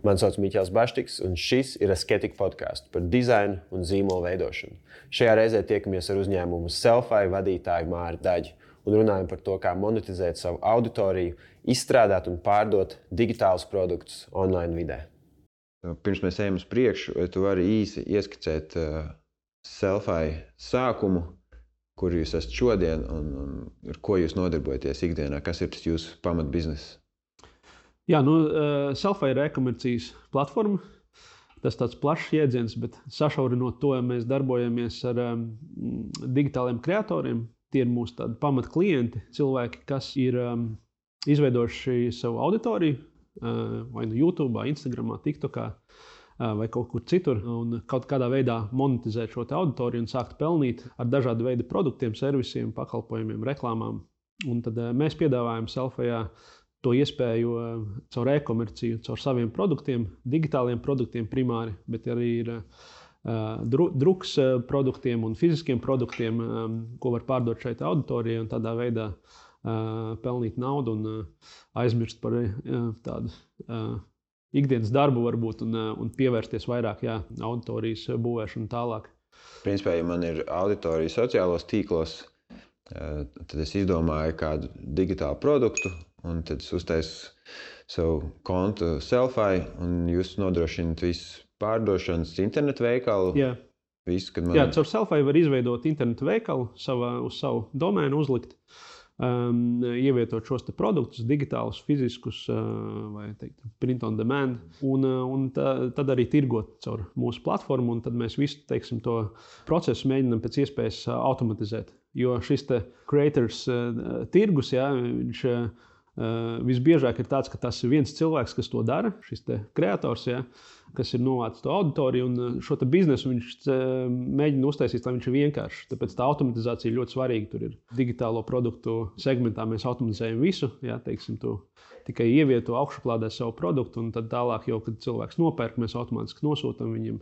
Mani sauc Miķels Baštiks, un šis ir Asketika podcasts par dizainu un zīmolu veidošanu. Šajā reizē tiekamies ar uzņēmumu Selfai vadītāju Māri Daģi un runājam par to, kā monetizēt savu auditoriju, izstrādāt un pārdot digitālus produktus online vidē. Pirms mēs ejam uz priekšu, tu vari īsi ieskicēt Selfai sākumu, kur jūs esat šodien un ar ko jūs nodarbojaties ikdienā, kas ir tas jūsu pamatbizness? Jā, Selfai ir e-komercijas platforma. Tas ir tāds plašs jēdziens, bet sašaurinot to, mēs darbojamies ar digitāliem kreatoriem. Tie ir mūsu tādi pamatklienti, cilvēki, kas ir izveidojuši savu auditoriju, vai YouTube, Instagram, TikTok vai kaut kur citur, un kaut kādā veidā monetizēt šo auditoriju un sākt pelnīt ar dažādu veidu produktiem, servisiem, pakalpojumiem, reklāmām. Un tad mēs piedāvājam Selfajā to iespēju caur e-komerciju, caur saviem produktiem, digitāliem produktiem primāri, bet arī ir druks produktiem un fiziskiem produktiem, ko var pārdot šeit auditorijai un tādā veidā pelnīt naudu un aizmirst par tādu ikdienas darbu varbūt un pievērsties vairāk auditorijas būvēšanu tālāk. Principā, ja man ir auditorija sociālos tīklos, tad es izdomāju kādu digitālu produktu, un tad es uztaisu savu kontu Selfai, un jūs nodrošināt visu pārdošanas internetu veikalu. Jā, visu, caur Selfai var izveidot internetu veikalu, uz savu domēnu uzlikt, ievietot šos produktus, digitālus, fiziskus, vai teikt, print on demand, un tad arī tirgot caur mūsu platformu, un tad mēs visu, teiksim, to procesu mēģinām pēc iespējas automatizēt. Jo šis creators tirgus, viņš visbiežāk ir tāds, ka tas ir viens cilvēks, kas to dara, šis kreators, kas ir novācis to auditoriju, un šo biznesu viņš mēģina uztaisīt, lai viņš ir vienkāršs. Tāpēc tā automatizācija ir ļoti svarīga. Tur ir digitālo produktu segmentā, mēs automatizējam visu, teiksim, tu tikai ievieto augšuplādē savu produktu, un tad tālāk jau, kad cilvēks nopērk, mēs automātiski nosūtam viņam,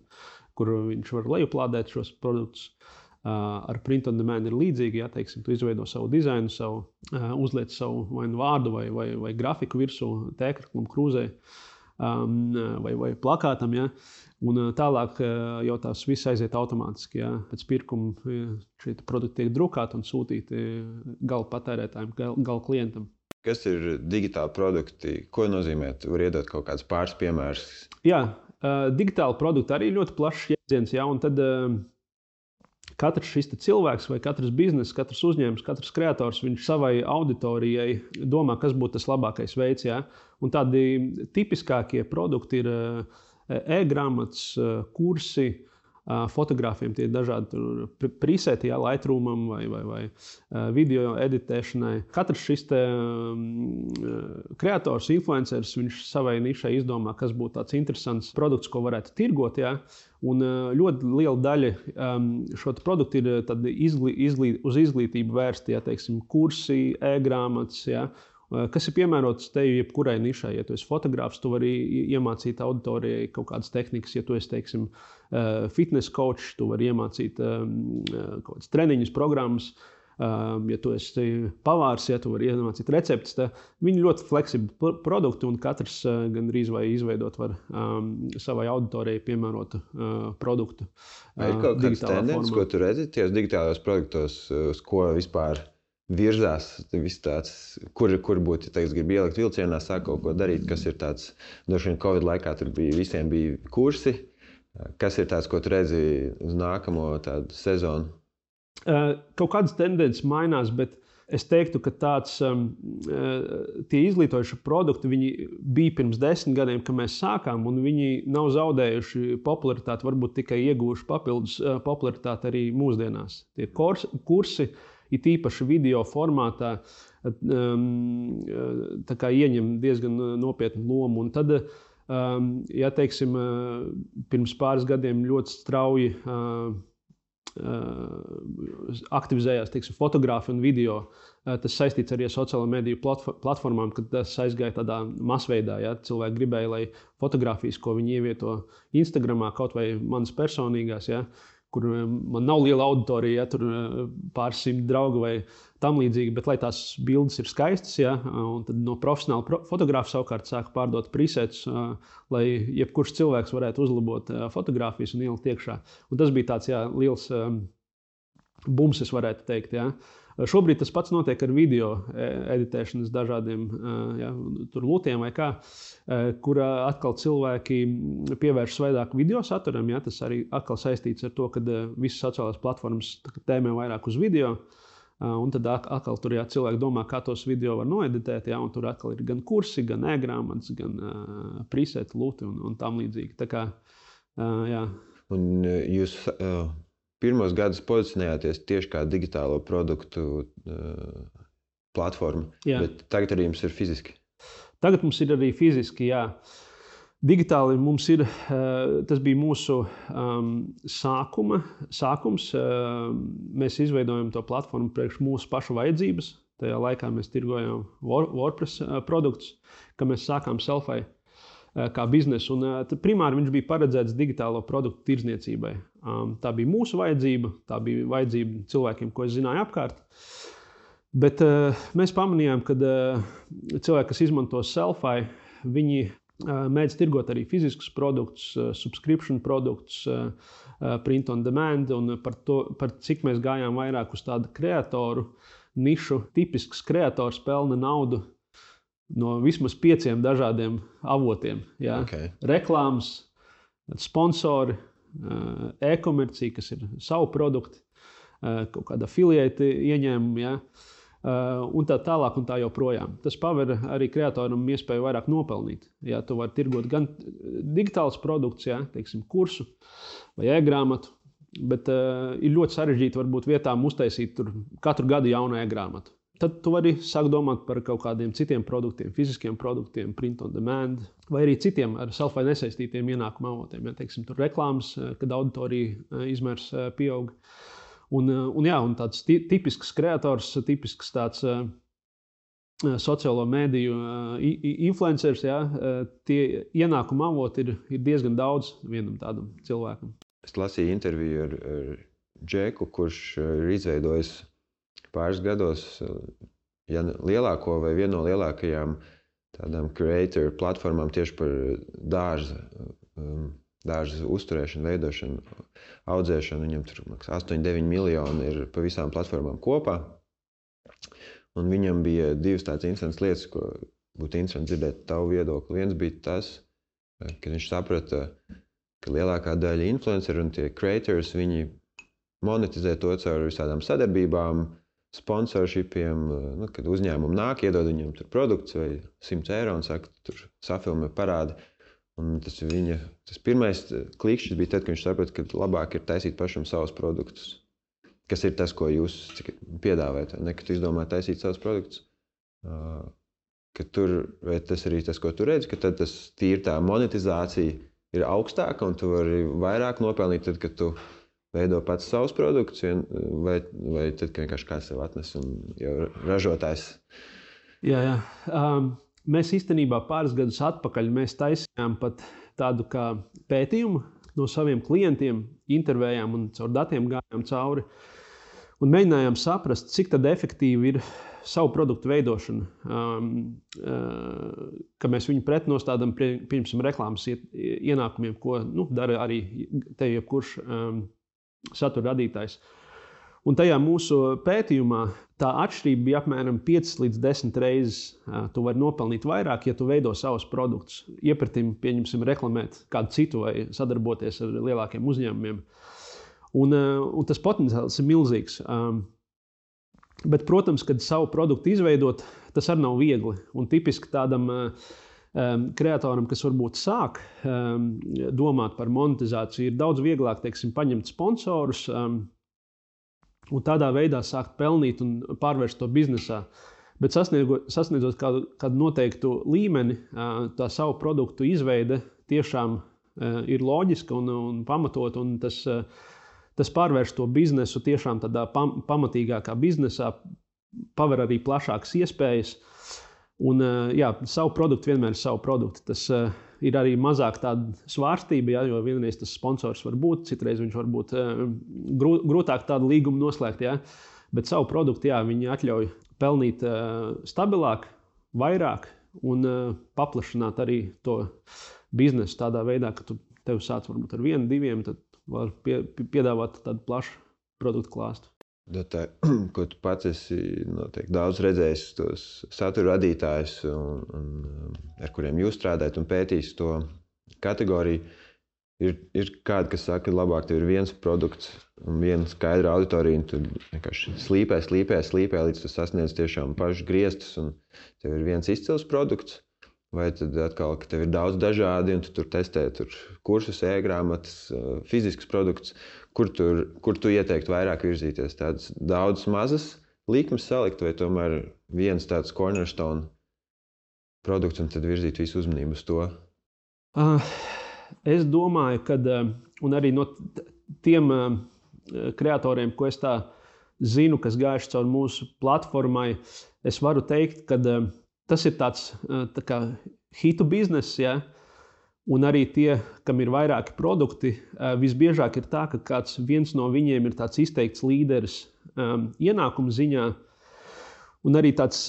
kur viņš var lejuplādēt šos produktus. Ar print on demand ir līdzīgi, teiksim, tu izveido savu dizainu, uzliec savu vai vārdu vai grafiku virsū, tēkraklam, krūzē vai plakātam, un tālāk jau tās viss aiziet automātiski, pēc pirkuma šie produkti tiek drukāti un sūtīti gala patērētājiem, gala klientam. Kas ir digitāli produkti? Ko nozīmē? Tu vari iedot kaut kādus pāris piemērus? Jā, digitāli produkti arī ļoti plašs jēdziens, un tad katrs šis cilvēks vai katrs bizness, katrs uzņēmums, katrs kreators, viņš savai auditorijai domā, kas būtu tas labākais veids. Un tādi tipiskākie produkti ir e-grāmatas, kursi, fotogrāfiem tie dažādi preseti, Lightroomam vai video editēšanai. Katrs šis kreators, influenceris, viņš savai nišai izdomā, kas būtu tāds interesants produkts, ko varētu tirgot. Un ļoti liela daļa šo produktu ir uz izglītību vērsti, teiksim, kursi, e-grāmatas, kas ir piemērots tev jebkurai nišai. Ja tu esi fotogrāfs, tu vari iemācīt auditorijai kaut kādas tehnikas. Ja tu esi, teiksim, fitness coach, tu vari iemācīt kaut kādas treniņus, programmas. Ja tu esi pavārs, tu vari iemācīt receptes. Viņi ļoti fleksibli produkti, un katrs gandrīz vai izveidot var savai auditorijai piemērotu produktu. Ir kaut kāds tendences, ko tu redzi tajos digitālajos produktos, uz ko vispār virzās, kur būtu, grib ielikt vilcienā, sāk kaut ko darīt, kas ir tāds, droši vien Covid laikā tur visiem bija kursi. Kas ir tāds, ko tu redzi uz nākamo tādu sezonu? Kaut kādas tendences mainās, bet es teiktu, ka tie izglītojuši produkti, viņi bija pirms 10 gadiem, kad mēs sākām, un viņi nav zaudējuši popularitāti, varbūt tikai ieguvuši papildus popularitāti arī mūsdienās. Tie kursi, it īpaši video formātā, tā kā ieņem diezgan nopietnu lomu. Un tad, teiksim, pirms pāris gadiem ļoti strauji aktivizējās, teiksim, fotogrāfi un video. Tas saistīts arī ar sociālo mediju platformām, kad tas aizgāja tādā masveidā. Cilvēki gribēja, lai fotogrāfijas, ko viņi ievieto Instagramā, kaut vai manas personīgās, kur man nav liela auditorija, ja, tur pāris simt draugu vai tam līdzīgi, bet lai tās bildes ir skaistas, ja, un tad no profesionāla fotografa savukārt sāka pārdot presets, lai jebkurš cilvēks varētu uzlabot fotogrāfijas un ielikt iekšā. Un tas bija tāds, jā, liels bums, es varētu teikt, jā. Šobrīd tas pats notiek ar video editēšanas dažādiem tur lutiem vai kā, kur atkal cilvēki pievēršas vairāk video saturam. Ja? Tas arī atkal saistīts ar to, ka visas sociālās platformas tēmē vairāk uz video. Un tad atkal tur cilvēki domā, kā tos video var noeditēt. Ja? Un tur atkal ir gan kursi, gan e-grāmatas, gan preseti, luti un tam līdzīgi. Tā kā, jā. Un jūs... Pirmos gadus pozicionējāties tieši kā digitālo produktu platforma, bet tagad arī jums ir fiziski. Tagad mums ir arī fiziski, jā. Digitāli mums ir, tas bija mūsu sākums. Mēs izveidojam to platformu priekš mūsu pašu vajadzības. Tajā laikā mēs tirgojam WordPress produktus, ka mēs sākām Selfai kā biznesu. Un primāri viņš bija paredzēts digitālo produktu tirdzniecībai. Tā bija mūsu vajadzība, tā bija vajadzība cilvēkiem, ko es zināju apkārt. Bet mēs pamanījām, ka cilvēki, kas izmanto Selfai, viņi mēdz tirgot arī fiziskus produktus, subscription produktus, print on demand, un par cik mēs gājām vairāk uz tādu kreatoru nišu. Tipisks kreators pelna naudu no vismaz 5 dažādiem avotiem. Ja? Okay. Reklāmas, sponsori, e-komercija, kas ir savu produktu, kaut kāda affiliate ieņēmumi, ja? Un tā tālāk un tā joprojām. Tas paver arī kreatoram iespēju vairāk nopelnīt. Ja? Tu vari tirgot gan digitāls produkts, ja? Teiksim, kursu vai e-grāmatu, bet ir ļoti sarežģīti varbūt vietām uztaisīt tur katru gadu jaunu e-grāmatu. Tad tu vari sākt domāt par kaut kādiem citiem produktiem, fiziskiem produktiem, print on demand, vai arī citiem ar Selfai nesaistītiem ienākuma avotiem. Ja, teiksim, tur reklāmas, kad auditorija izmērs pieaug. Un tāds tipisks kreators, tipisks tāds sociālo mēdīju influencers, ja, tie ienākuma avoti ir diezgan daudz vienam tādam cilvēkam. Es lasīju interviju ar Džeku, kurš ir izveidojis pāris gados lielāko vai vienu no lielākajām tādām creator platformām tieši par dārza uzturēšanu, veidošanu, audzēšanu. Viņam tur 8-9 miljoni ir pa visām platformām kopā. Un viņam bija divas tādas interesantas lietas, ko būtu interesanti dzirdēt tavu viedokli. Viens bija tas, ka viņš saprata, ka lielākā daļa influenceru un tie creators, viņi monetizē to caur visādām sadarbībām, sponsorshipiem, kad uzņēmumi nāk, iedod viņam tur produkts vai 100 eiro un saka, tur safilmē parādi. Un tas pirmais klikšķis bija tad, kad viņš saprata, ka labāk ir taisīt pašam savus produktus. Kas ir tas, ko jūs piedāvājat, ne, kad izdomā taisīt savus produktus. Ka tur, vai tas arī tas, ko tu redzi, ka tad tas tīri tā monetizācija ir augstāka un tu vari vairāk nopelnīt tad, kad tu veido pats savus produktus, vai tad, ka vienkārši kāds sev atnes un jau ražotājs? Jā. Mēs īstenībā pāris gadus atpakaļ mēs taisījām pat tādu kā pētījumu no saviem klientiem, intervējām un caur datiem gājām cauri un mēģinājām saprast, cik tad efektīvi ir savu produktu veidošana, ka mēs viņu pretnostādām pirms reklāmas ienākumiem, ko dara arī te jebkurš satura radītājs. Un tajā mūsu pētījumā tā atšķirība bija apmēram 5 līdz 10 reizes. Tu vari nopelnīt vairāk, ja tu veido savus produktus. Iepratim, pieņemsim, reklamēt kādu citu vai sadarboties ar lielākiem uzņēmumiem. Un tas potenciāls ir milzīgs. Bet, protams, kad savu produktu izveidot, tas arī nav viegli. Un tipiski tādam kreatoram, kas varbūt sāk domāt par monetizāciju, ir daudz vieglāk, teiksim, paņemt sponsorus un tādā veidā sākt pelnīt un pārvērst to biznesā. Bet sasniedzot kādu noteiktu līmeni, tā savu produktu izveide tiešām ir loģiska un pamatot, un tas pārvērš to biznesu tiešām tādā pamatīgākā biznesā, paver arī plašākas iespējas. Un, jā, savu produktu vienmēr ir savu produktu. Tas ir arī mazāk tāda svārstība, jā, jo vienreiz tas sponsors var būt, citreiz viņš var būt grūtāk tādu līgumu noslēgt. Jā. Bet savu produktu jā, viņi atļauj pelnīt stabilāk, vairāk un paplašināt arī to biznesu tādā veidā, ka tev sāc varbūt ar 1, 2, tad var piedāvāt tādu plašu produktu klāstu. Tā, ko tu pats esi noteikti daudz redzējis, tos satura radītājus, ar kuriem jūs strādājat un pētījis to kategoriju, ir kādi, kas saka, ka labāk tev ir viens produkts un viena skaidra auditorija, un tu vienkārši slīpē, līdz tu sasniedz tiešām pašus griestus, un tev ir viens izcils produkts, vai tad atkal, ka tev ir daudz dažādi, un tu tur testē kursus, e-grāmatas, fizisks produkts, kur tu ieteiktu vairāk virzīties? Tādas daudz mazas līkumas salikt, vai tomēr viens tāds cornerstone produkts, un tad virzīt visu uzmanību uz to? Es domāju, ka un arī no tiem kreatoriem, ko es tā zinu, kas gājuši caur mūsu platformai, es varu teikt, ka tas ir tāds tā kā hitu bizness, ja? Un arī tie, kam ir vairāki produkti, visbiežāk ir tā, ka viens no viņiem ir tāds izteikts līderis ienākuma ziņā, un arī tāds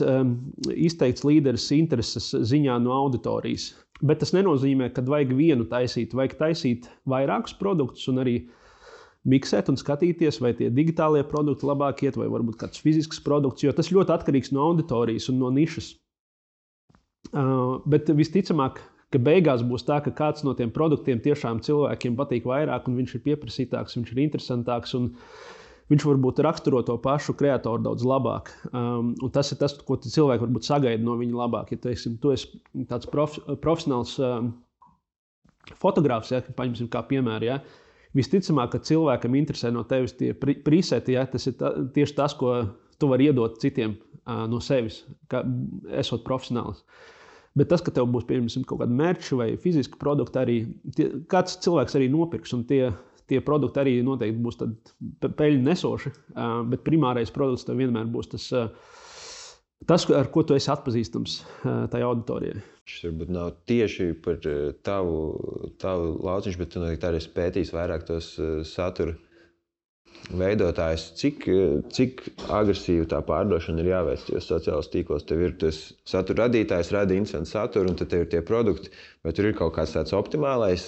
izteikts līderis intereses ziņā no auditorijas. Bet tas nenozīmē, ka vajag vienu taisīt, vajag taisīt vairākus produktus un arī miksēt un skatīties, vai tie digitālie produkti labāk iet, vai varbūt kāds fizisks produkts, jo tas ļoti atkarīgs no auditorijas un no nišas. Bet visticamāk, ka beigās būs tā, ka kāds no tiem produktiem tiešām cilvēkiem patīk vairāk, un viņš ir pieprasītāks, viņš ir interesantāks, un viņš varbūt raksturo to pašu kreatoru daudz labāk. Un tas ir tas, ko cilvēki varbūt sagaida no viņa labāk. Ja tu esi tāds profesionāls fotogrāfs, ja, paņemsim kā piemēru, ja, visticamāk, ka cilvēkam interesē no tevis tie preseti, ja, tas ir tieši tas, ko tu vari iedot citiem no sevis, esot profesionāls. Bet tas, ka tev būs piemēram kaut kāda merča vai fiziska produkta, arī kāds cilvēks arī nopirks, un tie produkti arī noteikti būs peļņu nesoši, bet primārais produkts tev vienmēr būs tas, ar ko tu esi atpazīstams tajā auditorijai. Šis varbūt nav tieši par tavu lauciņš, bet tu noteikti arī pētīs vairāk tos satura veidotājus, cik agresīvi tā pārdošana ir jāveic tajos sociālos tīklos. Tev ir tas satura radītājs, rada interesantu saturu, un tad tev ir tie produkti, vai tur ir kaut kāds tāds optimālais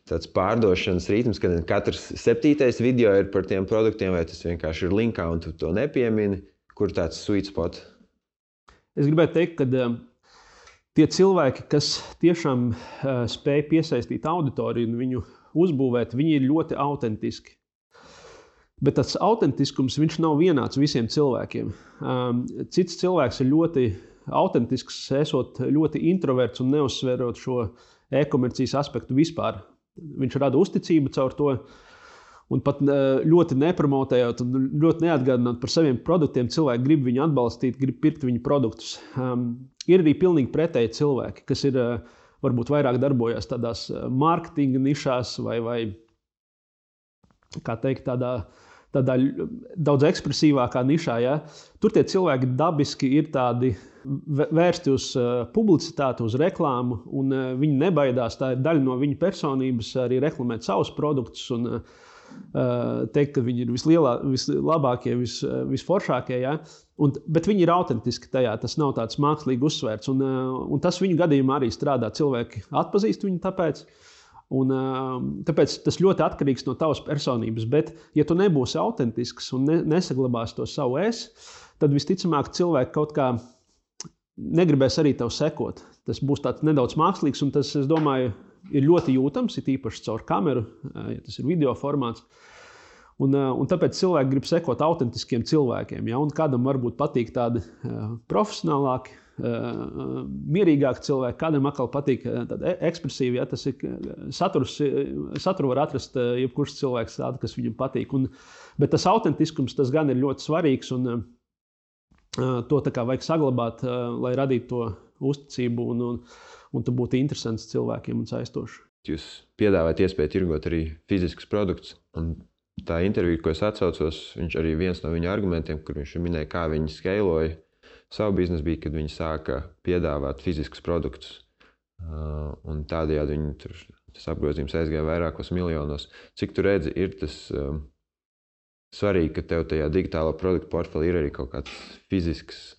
tāds pārdošanas ritms, kad katrs 7. video ir par tiem produktiem, vai tas vienkārši ir linkā un tu to nepiemini, kur tāds sweet spot? Es gribētu teikt, ka tie cilvēki, kas tiešām spēj piesaistīt auditoriju un viņu uzbūvēt, viņi ir ļoti autentiski. Bet tas autentiskums, viņš nav vienāds visiem cilvēkiem. Cits cilvēks ir ļoti autentisks, esot ļoti introverts un neuzsverot šo e-komercijas aspektu vispār. Viņš rada uzticību caur to un pat ļoti nepromotējot un ļoti neatgādināt par saviem produktiem. Cilvēki grib viņu atbalstīt, grib pirkt viņu produktus. Ir arī pilnīgi pretēji cilvēki, kas ir varbūt vairāk darbojas tādās mārketinga nišās vai kā teikt, tādā daudz ekspresīvākā nišā. Ja? Tur tie cilvēki dabiski ir tādi vērsti uz publicitāti, uz reklāmu, un viņi nebaidās. Tā ir daļa no viņa personības arī reklamēt savus produktus un teikt, ka viņi ir vislabākie, visforšākie. Ja? Bet viņi ir autentiski tajā, tas nav tāds mākslīgi uzsvērts. Un tas viņu gadījumā arī strādā. Cilvēki atpazīst viņu tāpēc. Un, tāpēc tas ļoti atkarīgs no tavas personības. Bet, ja tu nebūsi autentisks un nesaglabāsi to savu tad visticamāk cilvēki kaut kā negribēs arī tev sekot. Tas būs tāds nedaudz mākslīgs, un tas, es domāju, ir ļoti jūtams, ir īpaši caur kameru, ja tas ir video formāts. Un tāpēc cilvēki grib sekot autentiskiem cilvēkiem. Ja? Un kādam varbūt patīk tādi profesionālāki, mierīgāki cilvēki, kādam atkal patīk tāda ekspresīva, ja tas ir saturu var atrast jebkurš cilvēks tādu, kas viņam patīk. Bet tas autentiskums, tas gan ir ļoti svarīgs, un to tā kā vajag saglabāt, lai radītu to uzticību un tu būtu interesants cilvēkiem un saistošs. Jūs piedāvājat iespēju tirgot arī fiziskus produktus, un tā intervija, ko es atsaucos, viņš arī viens no viņa argumentiem, kur viņš minēja, kā viņi skeiloja savu biznesu, bija, kad viņi sāka piedāvāt fiziskus produktus. Un tādējādi viņi tas apgrozījums aizgāja vairākos miljonos. Cik tu redzi, ir tas svarīgi, ka tev tajā digitālā produktu portfelī ir arī kaut kāds fizisks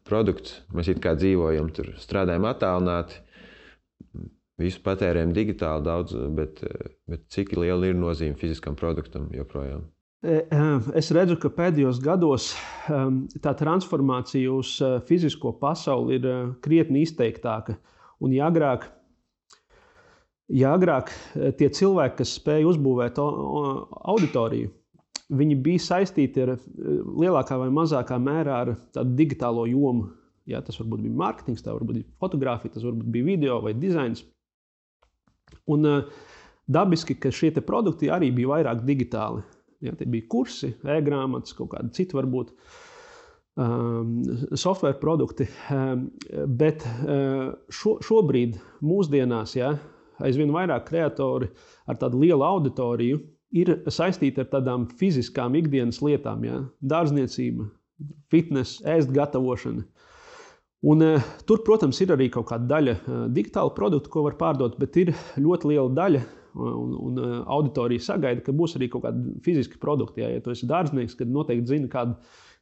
produkts. Mēs it kā dzīvojam, tur strādājam attālināti, visu patērējam digitāli daudz, bet cik liela ir nozīme fiziskam produktam joprojām? Es redzu, ka pēdējos gados tā transformācija uz fizisko pasauli ir krietni izteiktāka. Un ja agrāk tie cilvēki, kas spēja uzbūvēt auditoriju, viņi bija saistīti ar lielākā vai mazākā mērā ar tādu digitālo jomu. Ja, tas varbūt bija mārketings, tā varbūt bija fotografija, tas varbūt bija video vai dizains. Un dabiski, ka šie te produkti arī bija vairāk digitāli. Ja, tie bija kursi, e-grāmatas, kaut kādi citi varbūt software produkti. Bet šobrīd mūsdienās aizvien vairāk kreatori ar tādu lielu auditoriju ir saistīti ar tādām fiziskām ikdienas lietām. Ja, dārzniecība, fitness, ēst gatavošana. Un, tur, protams, ir arī kaut kāda daļa digitāla produktu, ko var pārdot, bet ir ļoti liela daļa un auditorija sagaida, ka būs arī kaut kādi fiziski produkti. Ja tu esi dārznieks, tad noteikti zini,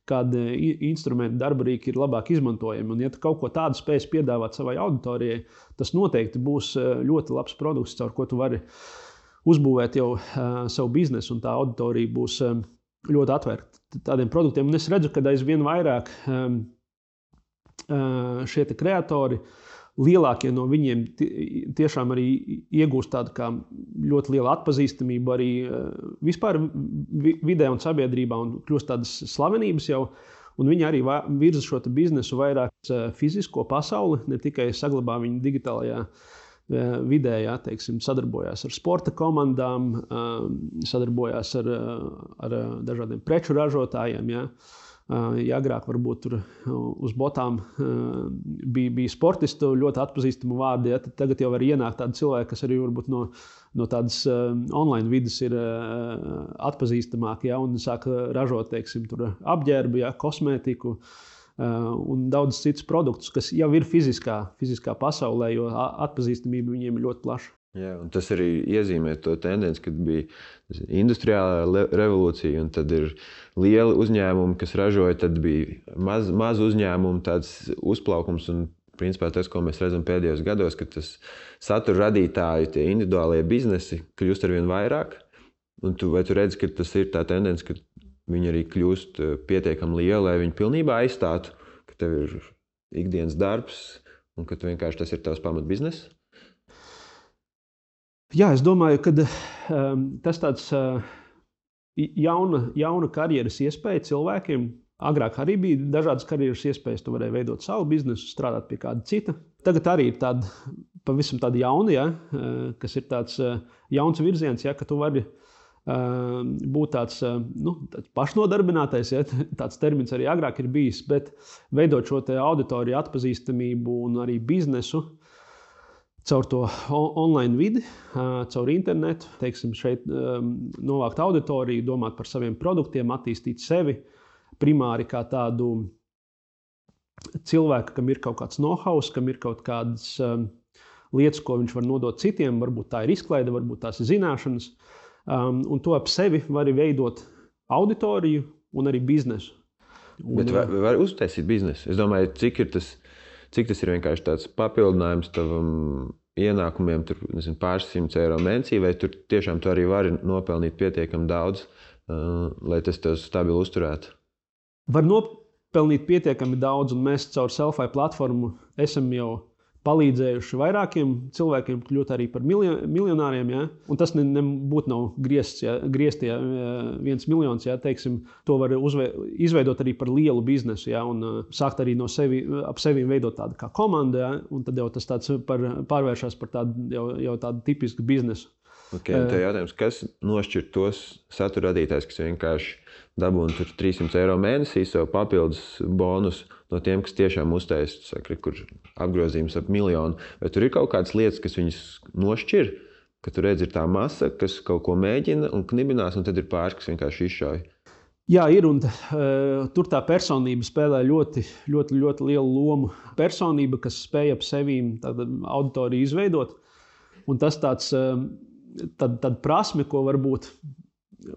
kādi instrumenti, darbarīki ir labāk izmantojami. Un, ja tu kaut ko tādu spēsi piedāvāt savai auditorijai, tas noteikti būs ļoti labs produkts, caur ko tu vari uzbūvēt jau savu biznesu, un tā auditorija būs ļoti atvērta tādiem produktiem. Un es redzu, ka aizvien vairāk šie kreatori, lielākie no viņiem tiešām arī iegūst tādu kā ļoti lielu atpazīstamību arī vispār vidē un sabiedrībā un kļūst tādas slavenības jau. Un viņi arī virza šo biznesu vairāk fizisko pasauli, ne tikai saglabā viņu digitālajā vidē, teiksim, sadarbojās ar sporta komandām, sadarbojās ar dažādiem preču ražotājiem. Ja agrāk varbūt tur uz botām bija sportistu ļoti atpazīstamu vārdi, tad tagad jau var ienākt tādi cilvēki, kas arī varbūt no tādas online vidas ir atpazīstamāki, un sāk ražot, teiksim, tur apģērbu, kosmētiku un daudz citus produktus, kas jau ir fiziskā pasaulē, jo atpazīstamība viņiem ir ļoti plaša. Jā, un tas arī iezīmē to tendenci, kad bija industriālā revolūcija, un tad ir lieli uzņēmumi, kas ražoja, tad bija maz uzņēmumu, tāds uzplaukums, un principā tas, ko mēs redzam pēdējos gados, ka tas satura radītāju, tie individuālie biznesi kļūst arvien vairāk, un vai tu redzi, ka tas ir tā tendence, ka viņi arī kļūst pietiekami lieli, lai viņi pilnībā aizstātu, ka tev ir ikdienas darbs, un ka vienkārši tas ir tavs pamat bizness? Jā, es domāju, ka tas tāds jauna karjeras iespēja cilvēkiem. Agrāk arī bija dažādas karjeras iespējas, tu varēji veidot savu biznesu, strādāt pie kāda cita. Tagad arī ir pavisam tāda jauna, kas ir tāds jauns virziens, ka tu vari būt tāds pašnodarbinātais, tāds termins arī agrāk ir bijis, bet veidot šo te auditoriju atpazīstamību un arī biznesu, caur to online vidi, caur internetu, teiksim, šeit novākt auditoriju, domāt par saviem produktiem, attīstīt sevi primāri kā tādu cilvēku, kam ir kaut kāds know-how, kam ir kaut kādas lietas, ko viņš var nodot citiem, varbūt tā ir izklaide, varbūt tās ir zināšanas, un to ap sevi var veidot auditoriju un arī biznesu. Bet var uztaisīt biznesu? Es domāju, cik tas ir vienkārši tāds papildinājums tavam ienākumiem, tur, nezinu, pāris 100 eiro mēnesī, vai tur tiešām tu arī vari nopelnīt pietiekami daudz, lai tas tev stabili uzturētu? Var nopelnīt pietiekami daudz, un mēs caur Selfie platformu esam jau palīdzējuši vairākiem cilvēkiem kļūt arī par miljonāriem. Ja? Un tas nebūtu nav griezti 1 miljons. Ja? Teiksim, to var izveidot arī par lielu biznesu, ja? Un sākt arī ap sevi veidot tādu kā komandu. Ja? Un tad jau tas pārvēršas par tādu tādu tipisku biznesu. Okay, un te jautājums, kas nošķir tos satura radītājs, kas vienkārši dabūna 300 eiro mēnesī savu papildus bonus no tiem, kas tiešām uztaisa, kur apgrozījums ap 1 miljonu. Vai tur ir kaut kādas lietas, kas viņus nošķir, ka tu redzi, ir tā masa, kas kaut ko mēģina un knibinās, un tad ir pāris, kas vienkārši izšauj? Jā, ir, un tur tā personība spēlē ļoti lielu lomu. Personība, kas spēj ap sevīm tādu auditoriju izveidot, un tas tāds prasme, ko varbūt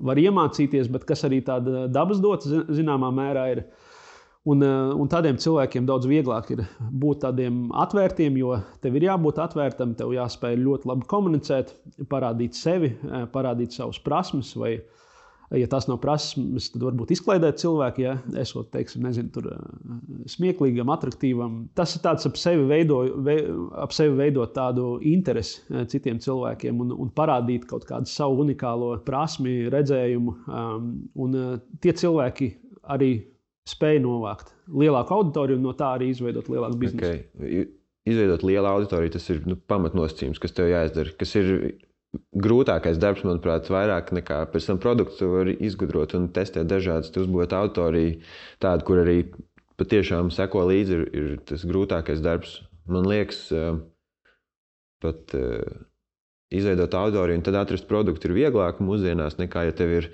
var iemācīties, bet kas arī tāda dabas dots zināmā mērā ir. Un tādiem cilvēkiem daudz vieglāk ir būt tādiem atvērtiem, jo tev ir jābūt atvērtam, tev jāspēj ļoti labi komunicēt, parādīt sevi, parādīt savus prasmes vai ja tas nav prasmes, tad varbūt izklaidēt cilvēku, ja esot, teiksim, tur smieklīgam, atraktīvam. Tas ir tāds ap sevi veidot tādu interesi citiem cilvēkiem un parādīt kaut kādu savu unikālo prasmi, redzējumu. Un tie cilvēki arī spēj novākt lielāku auditoriju un no tā arī izveidot lielāku biznesu. Okay. Izveidot lielu auditoriju, tas ir pamatnosacījums, kas tev jāizdara, kas ir grūtākais darbs, manuprāt, vairāk nekā pēc tam produktu var izgudrot un testēt dažādas, uzbūvēt auditoriju tādu, kur arī patiešām seko līdzi, ir tas grūtākais darbs. Man liekas, pat izveidot auditoriju un tad atrast produktu ir vieglāk mūsdienās nekā, ja tev ir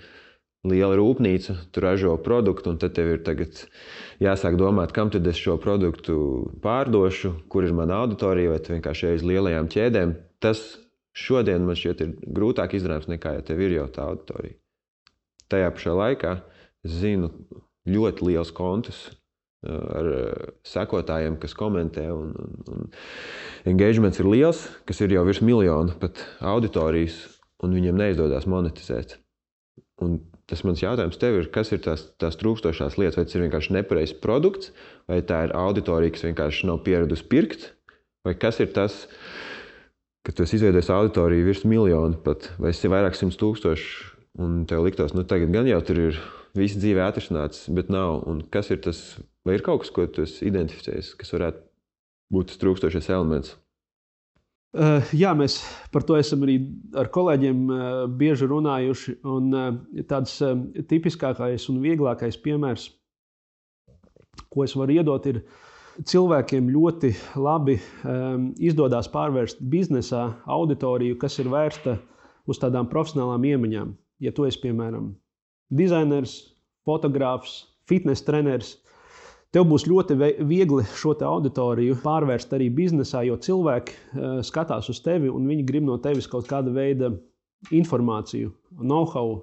liela rūpnīca, tu ražo produktu un tad tev ir tagad jāsāk domāt, kam tad es šo produktu pārdošu, kur ir mana auditorija vai vienkārši uz lielajām ķēdēm. Tas šodien man šķiet ir grūtāk izdarāms nekā, ja tev ir jau tā auditorija. Tajā pašā laikā es zinu ļoti liels kontus ar sekotājiem, kas komentē un engagements ir liels, kas ir jau virs miljonu pat auditorijas un viņiem neizdodas monetizēt. Un tas mans jautājums tev ir, kas ir tās trūkstošās lietas, vai tas ir vienkārši nepareizs produkts, vai tā ir auditorija, kas vienkārši nav pieradusi pirkt, vai kas ir tas, ka tu esi izveidojis auditoriju virs miljonu pat, vai esi vairāk 100,000, un tev liktos, tagad gan jau tur ir viss dzīvē atrisināts, bet nav. Un kas ir tas, vai ir kaut kas, ko tu esi identificējis, kas varētu būt tas trūkstošais elements? Jā, mēs par to esam arī ar kolēģiem bieži runājuši, un tāds tipiskākais un vieglākais piemērs, ko es varu iedot, ir cilvēkiem ļoti labi izdodas pārvērst biznesā auditoriju, kas ir vērsta uz tādām profesionālām iemaņām. Ja tu esi, piemēram, dizainers, fotogrāfs, fitness treneris, tev būs ļoti viegli šo auditoriju pārvērst arī biznesā, jo cilvēki skatās uz tevi un viņi grib no tevis kaut kāda veida informāciju, know-how,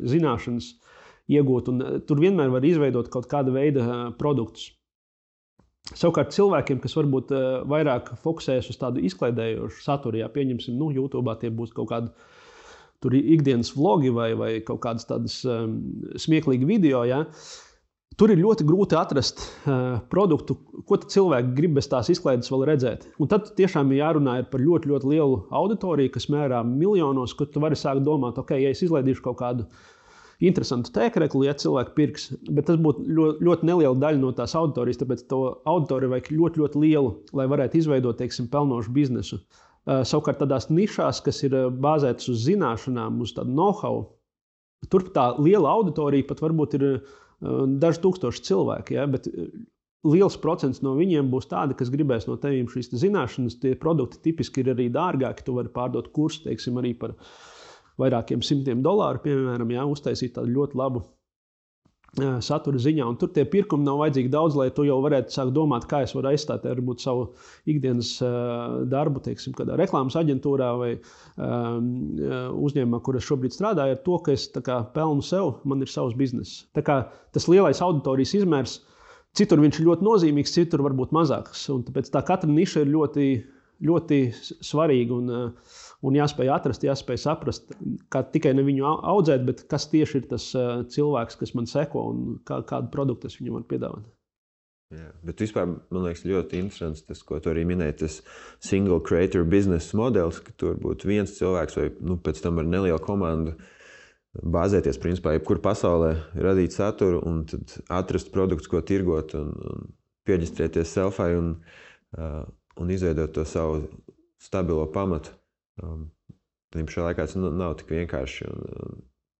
zināšanas iegūt. Un tur vienmēr var izveidot kaut kāda veida produktus. Savukārt cilvēkiem, kas varbūt vairāk fokusējas uz tādu izklaidējošu saturu, ja pieņemsim, YouTube tie būs kaut kādi tur ikdienas vlogi vai kaut kādas tādas smieklīgi video, ja, tur ir ļoti grūti atrast produktu, ko cilvēki grib bez tās izklaides vēl redzēt. Un tad tiešām ir jārunā par ļoti, ļoti lielu auditoriju, kas mērā miljonos, kur tu vari sākt domāt, ok, ja es izlaidīšu kaut kādu interesantu tēkrekli, ja cilvēki pirks, bet tas būtu ļoti neliela daļa no tās auditorijas, tāpēc to auditoriju vajag ļoti, ļoti lielu, lai varētu izveidot, teiksim, pelnošu biznesu. Savukārt tādās nišās, kas ir bāzētas uz zināšanām, uz tādu know-how, tur tā liela auditorija pat varbūt ir daži tūkstoši cilvēki, ja, bet liels procents no viņiem būs tādi, kas gribēs no tevīm šīs zināšanas. Tie produkti tipiski ir arī dārgāki, tu vari pārdot kursu, teiksim, arī par vairākiem $100, piemēram, ja, uztaisīt tādu ļoti labu satura ziņā. Un tur tie pirkumi nav vajadzīgi daudz, lai tu jau varētu sākt domāt, kā es varu aizstāt varbūt savu ikdienas darbu, teiksim, kādā reklāmas aģentūrā vai uzņēmumā, kur es šobrīd strādāju, ar to, ka es tā kā pelnu sev, man ir savs bizness. Tā kā tas lielais auditorijas izmērs, citur viņš ir ļoti nozīmīgs, citur varbūt mazāks. Un tāpēc tā katra niša ir ļoti, ļoti svarīga un jāspēj atrast, jāspēj saprast, kā tikai ne viņu audzēt, bet kas tieši ir tas cilvēks, kas man seko un kādu produktu es viņam varu piedāvāt. Jā, bet vispār, man liekas, ļoti interesants tas, ko tu arī minēji, tas single creator business modelis, ka tur būtu viens cilvēks vai pēc tam ar nelielu komandu bāzēties, principā, jebkur pasaulē radīt saturu un tad atrast produktus, ko tirgot un pieģistrēties selfai un izveidot to savu stabilo pamatu. Tad šajā laikā tas nav tik vienkārši.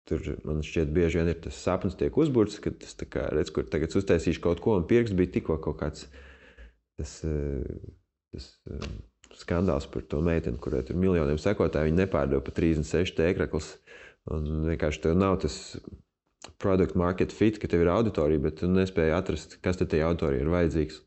Tur man šķiet bieži vien ir tas sapnis tiek uzburts, ka tas tā kā redz, kur tagad uztaisīšu kaut ko un pirks bija tikko kaut kāds tas skandāls par to meiteni, kurai tur miljoniem sekotāji, viņi nepārdeva pa 36 tēkrekls un vienkārši tev nav tas product market fit, ka tev ir auditorija, bet tu nespēji atrast, kas te auditorija ir vajadzīgs.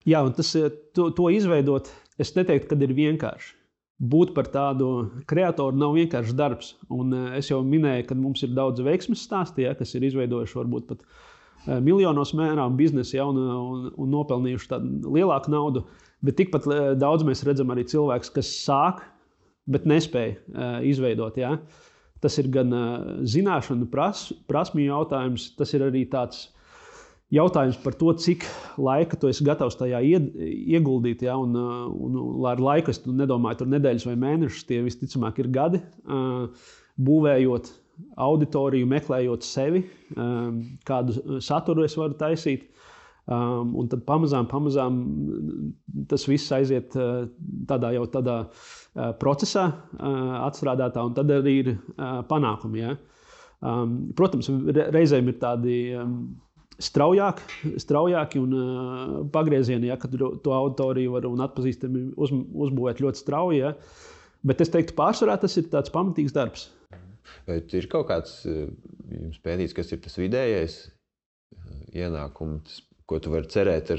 Jā, un to izveidot, es neteiktu, ka ir vienkārši. Būt par tādu kreatoru nav vienkāršs darbs. Un es jau minēju, ka mums ir daudz veiksmes stāsti, kas ir izveidojuši varbūt pat miljonos mērām biznesu, un nopelnījuši tādu lielāku naudu. Bet tikpat daudz mēs redzam arī cilvēkus, kas sāk, bet nespēja izveidot. Ja? Tas ir gan zināšanu prasmju jautājums, tas ir arī tāds jautājums par to, cik laika tu esi gatavs tajā ieguldīt. Ja? Un ar laiku es nedomāju, tur nedēļas vai mēnešus, tie visticamāk ir gadi, būvējot auditoriju, meklējot sevi, kādu saturu es varu taisīt. Un tad pamazām tas viss aiziet tādā procesā atstrādātā, un tad arī ir panākumi. Ja? Protams, reizēm ir tādi straujāki un pagriezieni, ja, kad to auditoriju var un atpazīstami uzbūvēt ļoti strauji. Ja? Bet es teiktu, pārsvarā tas ir tāds pamatīgs darbs. Vai ir kaut kāds jums pētīts, kas ir tas vidējais ienākums, ko tu vari cerēt,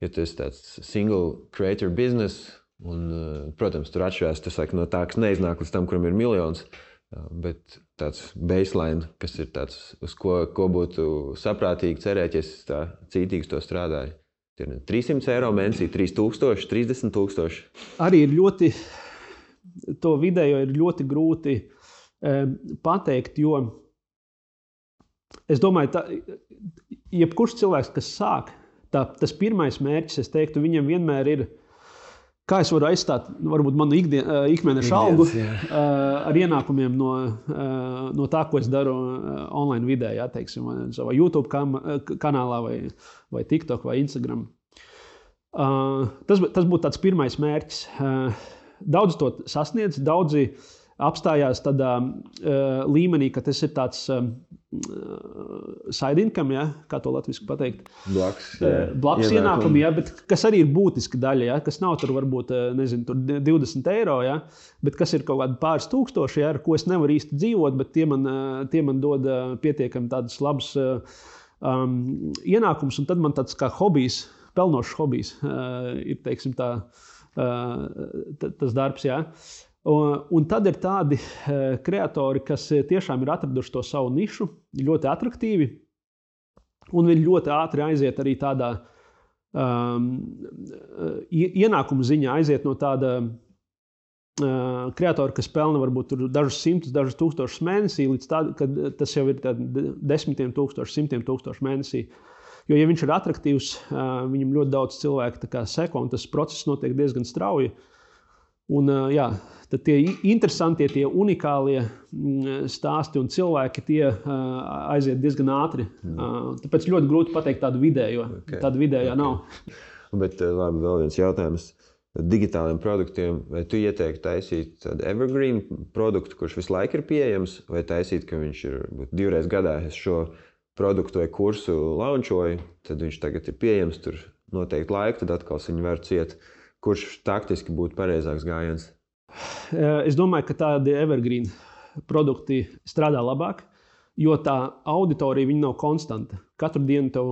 ja tu esi tāds single creator business, un, protams, tur atšķirās tas no tā, kas neiznāk līdz tam, kuram ir miljons, bet tāds baseline, kas ir tāds, uz ko būtu saprātīgi cerēt, ja es tā cītīgi to strādāju. Ir 300 eiro mēnesī, 3000, 30 000. Arī ir to vidējo ir ļoti grūti pateikt, jo es domāju, jebkurš cilvēks, kas sāk, tas pirmais mērķis, es teiktu, viņam vienmēr ir, kā es varu aizstāt varbūt manu ikmēneša algu ar ienākumiem no tā, ko es daru online vidē, ja, teiksim, savā YouTube kanālā vai TikTok vai Instagram. Tas būtu tāds pirmais mērķis. Daudz to sasniedz, daudzi apstājās tādā līmenī, ka tas ir tāds side income, ja? Kā to latviski pateikt? Blakus ienākumi, ja? Bet kas arī ir būtiska daļa, ja? Kas nav tur varbūt, nezinu, tur 20 eiro, ja? Bet kas ir kaut kādi pāris tūkstoši, ja? Ar ko es nevaru īsti dzīvot, bet tie man dod pietiekami tādas labas ienākums, un tad man tāds kā hobijs, pelnošs hobijs ir, teiksim, tas darbs, ja? Un tad ir tādi kreatori, kas tiešām ir atraduši to savu nišu, ļoti atraktīvi, un viņi ļoti ātri aiziet arī tādā ienākuma ziņā, aiziet no tāda kreatora, kas pelna varbūt dažus simtus, dažus tūkstošus mēnesī, līdz tāda, kad tas jau ir 10 000, 100 000 mēnesī. Jo, ja viņš ir atraktīvs, viņam ļoti daudz cilvēku seko, un tas process notiek diezgan strauji. Un, jā, tad tie interesantie, tie unikālie stāsti un cilvēki, tie aiziet diezgan ātri. Tāpēc ļoti grūti pateikt tādu vidējo. Tāda vidējā nav. Bet labi, vēl viens jautājums. Digitāliem produktiem, vai tu ieteiktu taisīt tādu evergreen produktu, kurš visu laiku ir pieejams, vai taisīt, ka viņš ir 2 reizes gadā, es šo produktu vai kursu launčoju, tad viņš tagad ir pieejams tur noteikti laiku, tad atkal viņu var ciet. Kurš taktiski būtu pareizāks gājiens? Es domāju, ka tādi evergreen produkti strādā labāk, jo tā auditorija viņa nav konstanta. Katru dienu tev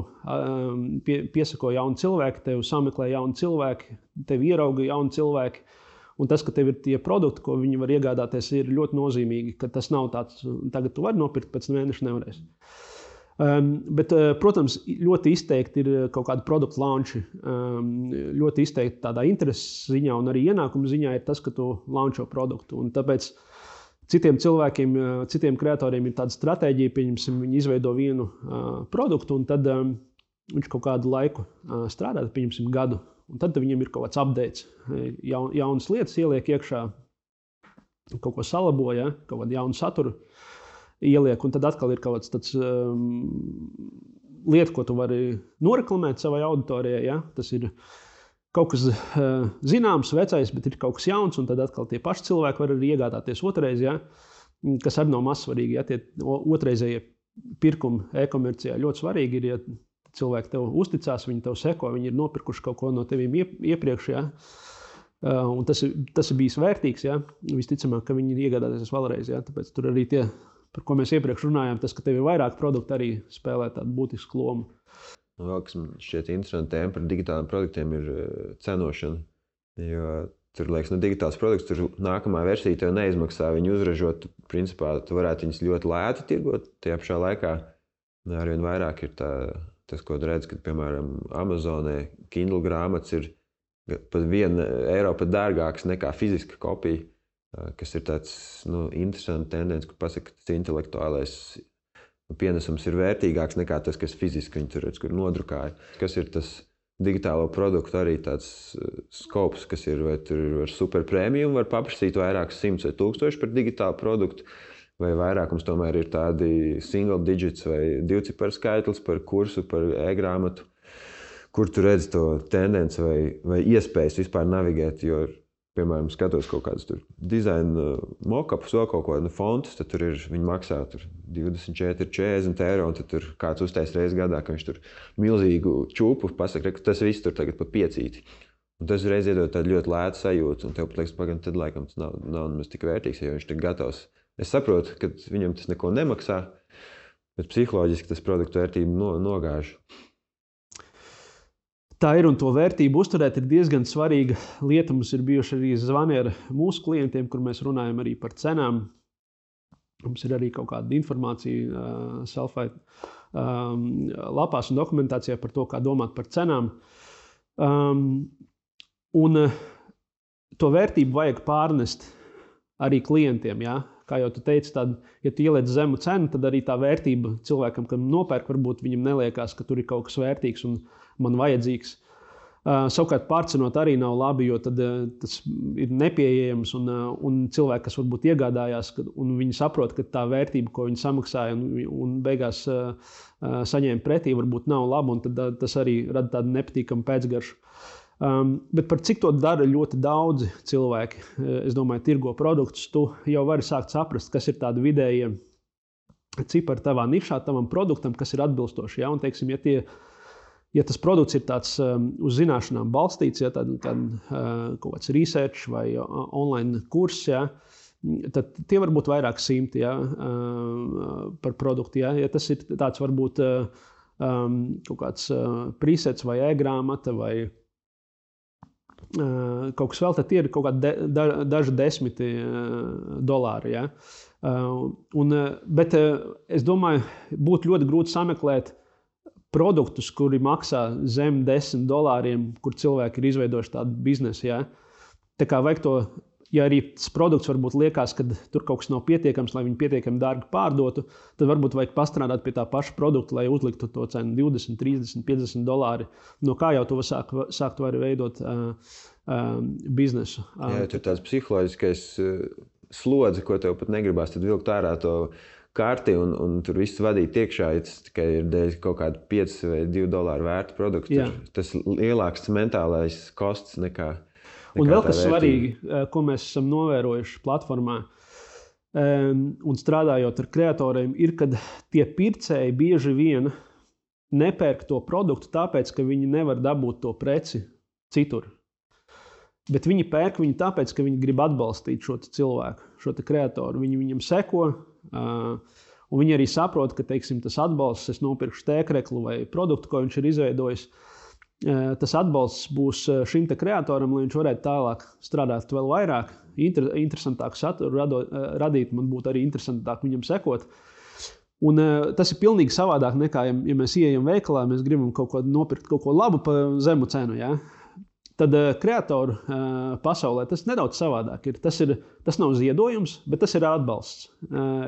piesako jauni cilvēki, tev sameklē jauni cilvēki, tev ierauga jauni cilvēki. Un tas, ka tev ir tie produkti, ko viņi var iegādāties, ir ļoti nozīmīgi, ka tas nav tāds, tagad tu vari nopirkt, pēc mēneša nevarēs. Bet, protams, ļoti izteikti ir kaut kādi produktu launči. Ļoti izteikti tādā intereses ziņā un arī ienākuma ziņā ir tas, ka tu launčo produktu. Un tāpēc citiem cilvēkiem, citiem kreatoriem ir tāda stratēģija, pieņemsim, viņi izveido vienu produktu un tad viņš kaut kādu laiku strādā, pieņemsim gadu. Un tad viņam ir kaut kāds updates, jaunas lietas ieliek iekšā, kaut ko salabo, ja? Kaut kādu jaunu saturu ieliek, un tad atkal ir kaut kāds tāds lieta, ko tu vari noreklamēt savai auditorijai. Ja? Tas ir kaut kas zināms, vecais, bet ir kaut kas jauns, un tad atkal tie paši cilvēki var arī iegādāties otrreiz, ja? Kas arī nav mazsvarīgi. Ja? Tie otrreizējie pirkumi e-komercijā ļoti svarīgi ir, ja cilvēki tev uzticās, viņi tev seko, viņi ir nopirkuši kaut ko no tevīm iepriekš. Ja? Un tas ir bijis vērtīgs, ja? Visticamāk, ka viņi iegādāsies vēlreiz. Ja? Tāpēc tur arī tie par ko mēs iepriekš runājām, tas, ka tev ir vairāk produktu, arī spēlē tādu būtisku lomu. Vēl, kas man šķiet interesanti tēma par digitāliem produktiem, ir cenošana. Jo tur, liekas, digitāls produkts, tur nākamā versija tev neizmaksā viņu uzražot. Principā, tu varētu viņus ļoti lēti tirgot. Tajā pašā laikā arvien vairāk ir tas, ko tu redz, kad, piemēram, Amazonē Kindle grāmatas ir pat €1 pat dārgāks nekā fiziska kopija, kas ir tāds interesants tendence, kur pasaka, ka tas intelektuālais pienesums ir vērtīgāks nekā tas, kas fiziski viņi tur redz, kur nodrukāja. Kas ir tas digitālo produktu arī tāds skops, kas ir, vai tur ir super premium, var paprasīt vairākus 100 vai 1000 par digitālu produktu, vai vairākums tomēr ir tādi single digits vai divciparu skaitlis par kursu, par e-grāmatu, kur tu redz to tendenci vai iespējas vispār navigēt, jo, piemēram, skatos kaut kādus tur dizaina mock-upus, vēl kaut ko fontus, tad tur ir, viņi maksā tur 24, 40 eiro, un tad tur kāds uztais reizes gadā, ka viņš tur milzīgu čūpu pasaka, ka tas viss tur tagad pa piecīti. Un tas reiz iedod tādu ļoti lētu sajūtu, un tev pat liekas, pagaidām, tad laikam tas nav nemaz tik vērtīgs, jo viņš tik gatavs. Es saprotu, ka viņam tas neko nemaksā, bet psiholoģiski tas produktu vērtību nogāž. Tā ir, un to vērtību uzturēt ir diezgan svarīga lieta. Mums ir bijuši arī zvani ar mūsu klientiem, kur mēs runājam arī par cenām. Mums ir arī kaut kāda informācija Selfai lapās un dokumentācijā par to, kā domāt par cenām. Un to vērtību vajag pārnest arī klientiem, ja? Kā jau tu teici, tad, ja tu ieliec zemu cenu, tad arī tā vērtība cilvēkam, kam nopērk, varbūt viņam neliekās, ka tur ir kaut kas vērtīgs un man vajadzīgs. Savukārt pārcenot arī nav labi, jo tad tas ir nepieejams un cilvēki, kas varbūt iegādājās, un viņi saprot, ka tā vērtība, ko viņi samaksāja un beigās saņēma pretī, varbūt nav laba, un tad tas arī rada tādu nepatīkamu pēcgaršu. Bet par cik to dara ļoti daudzi cilvēki, es domāju, tirgo produktus, tu jau vari sākt saprast, kas ir tādi vidējie cipari tavā nišā, tavam produktam, kas ir atbilstoši. Ja? Un, teiksim, ja tas produkts ir tāds uz zināšanām balstīts, ja, tad kaut kāds research vai online kurs, ja, tad tie var būt vairāk simti, ja, par produktu. Ja. Ja tas ir tāds varbūt kaut kāds presets vai e-grāmata vai kaut kas vēl, tad tie ir kaut kādi daži desmiti dolāri. Ja. Bet es domāju, būtu ļoti grūti sameklēt produktus, kuri maksā zem $10, kur cilvēki ir izveidojuši tādu biznesu. Ja. Tā kā vajag to, ja arī tas produkts varbūt liekas, ka tur kaut kas nav pietiekams, lai viņu pietiekami dārgi pārdotu, tad varbūt vajag pastrādāt pie tā paša produkta, lai uzliktu to cenu $20, 30, $50. No kā jau to sākt var veidot biznesu. Jā, tur tāds psiholoģiskais slodze, ko tev pat negribās, tad vilkt ārā to karti un tur viss vadīt iekšā, ja tas tikai ir dēļ kaut kādu 5 vai $2 vērtu produktu. Tas lielāks mentālais kosts nekā un vēl kas svarīgi, ko mēs esam novērojuši platformā un strādājot ar kreatoriem, ir, kad tie pircēji bieži vien nepērk to produktu tāpēc, ka viņi nevar dabūt to preci citur. Bet viņi pērk viņu tāpēc, ka viņi grib atbalstīt šo cilvēku, šo kreatoru. Viņi viņam seko, un viņi arī saprot, ka, teiksim, tas atbalsts, es nopirkšu tēkreklu vai produktu, ko viņš ir izveidojis, tas atbalsts būs šim kreatoram, lai viņš varētu tālāk strādāt vēl vairāk, interesantāku saturu radīt, man būtu arī interesantāk viņam sekot. Un tas ir pilnīgi savādāk nekā, ja mēs ieejam veikalā, mēs gribam kaut ko nopirkt, kaut ko labu pa zemu cenu, ja? Tad kreatoru pasaulē tas nedaudz savādāk ir. Tas nav ziedojums, bet tas ir atbalsts.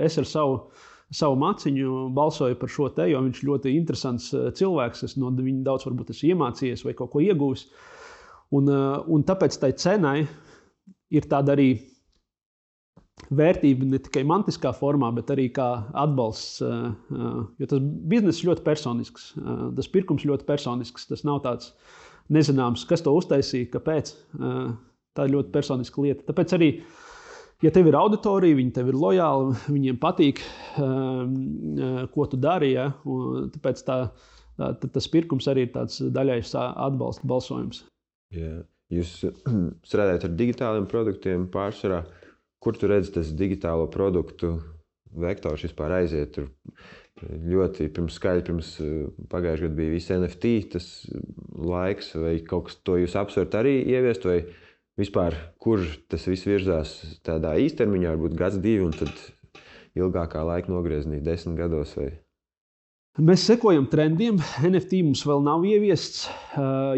Es ar savu maciņu balsoju par šo te, jo viņš ļoti interesants cilvēks. Es no viņa daudz varbūt esmu iemācījies vai kaut ko ieguvis. Un tāpēc tai cenai ir tāda arī vērtība ne tikai mantiskā formā, bet arī kā atbalsts. Jo tas bizness ļoti personisks. Tas pirkums ļoti personisks. Tas nav tāds nezināms, kas to uztaisīja, kāpēc. Tā ir ļoti personiska lieta. Tāpēc arī, ja tev ir auditorija, viņi tev ir lojāli, viņiem patīk, ko tu dari, ja? Tāpēc tas pirkums arī ir tāds daļais atbalsta balsojums. Jā. Jūs strādājat ar digitāliem produktiem pārsvarā. Kur tu redzi tas digitālo produktu vektors vispār aiziet. Tur ļoti pirms pagājušajā gadā bija visi NFT, tas laiks, vai kaut kas to jūs apsverat arī ieviest, vai vispār, kur tas viss virzās tādā īstermiņā, varbūt gads, 2, un tad ilgākā laika nogrieznī 10 gados vai... Mēs sekojam trendiem. NFT mums vēl nav ieviests,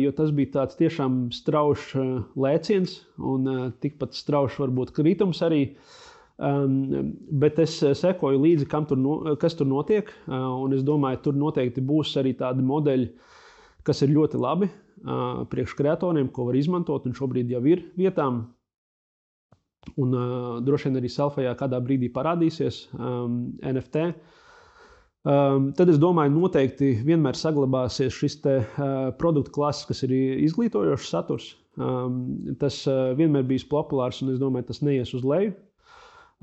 jo tas bija tāds tiešām straušs lēciens un tikpat straušs varbūt kritums arī. Bet es sekoju līdzi, kas tur notiek, un es domāju, tur noteikti būs arī tādi modeļi, kas ir ļoti labi priekš kreatoriem, ko var izmantot, un šobrīd jau ir vietām. Un droši vien arī Selfijā kādā brīdī parādīsies NFT. Tad es domāju, noteikti vienmēr saglabāsies šis te produktu klases, kas ir izglītojošs saturs. Tas vienmēr bijis populārs, un es domāju, tas neies uz leju.